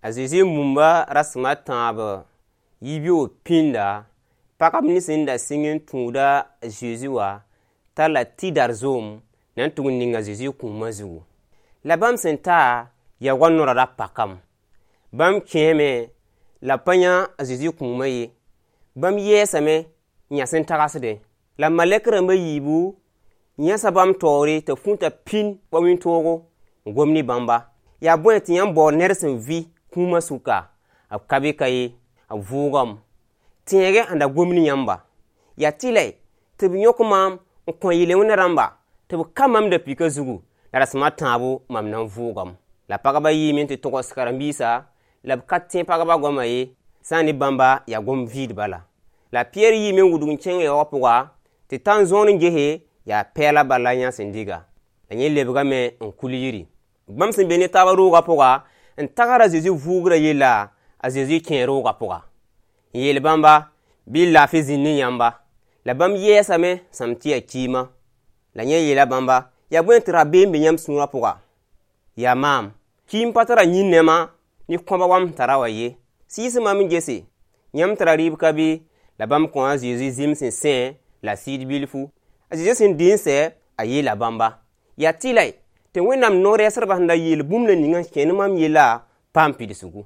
A Zezi mumba rasem a tãab yibeoog pĩnda, pagb nins sẽn da sɩng n tũud a Zezi wã talla tɩdar zoom na n tʋg n ning a Zezi kũuma zugu. La bãmb sẽn ta, yaoogã noorã ra pakame. Bãmb kẽeme la b pa yã a Zezi kũumã ye. Bãmb yɛɛsame n yãs n tagsdẽ. La malɛk rãmb a yiibu yãsa bãmb taoore tɩ b fũta pĩnd wa wĩntoogo n gom ne bãmba. Yaa bõe tɩ yãmb baood ned sẽn vɩ kũumã sʋka? B ka be ka ye, b vʋʋgame. Tẽeg-y sẽn da gom ne yãmba. Yaa tɩlɛ tɩ b yõk maam n kõ yel-wẽnã rãmba tɩ b ka maam da-pɩkã zugu, la rasem a tãabo mam na n vʋʋgame. La pagba yiime n tɩ togs karen-biisã la b ka tẽ pagba goama ye, sã n ne bãmba yaa gom-vɩɩd bala. La a Pɩyɛɛr yiime n wudg n kẽng yaoogã pʋga tɩ ta n zõor n gese, yaa pɛɛla bal la yã sẽn diga. La yẽ lebgame n kul yiri. Bãmb sẽn be ne taaba roogã pʋga n tagsd a Zezi vʋʋgrã yella, a Zezi kẽe roogã pʋga. N yeel bãmba bɩ laafɩ zĩnd ne yãmba. La bãmb yɛɛsame sãam tɩ yaa kiima. La yẽ yeela bãmba, yaa bõe tɩ rabeem be yãmb sũurã pʋga? Yaa maam. Kiim pa tara yĩn-nɛma ne kõba wa m sẽn tara wã ye. Sɩɩs maam n gese, yãmb tara rɩɩb ka bɩ? La bãmb kõo a Zezi zĩm sẽn sẽ la sɩd bilfu. A Zezi sẽn dɩ n sɛ, a yeela bãmba: yaa tɩlɛ tɩ Wẽnnaam no-rɛɛsdbã sẽn da yeel bũmb la ninga n kẽ ne mam yella paam pidsgu.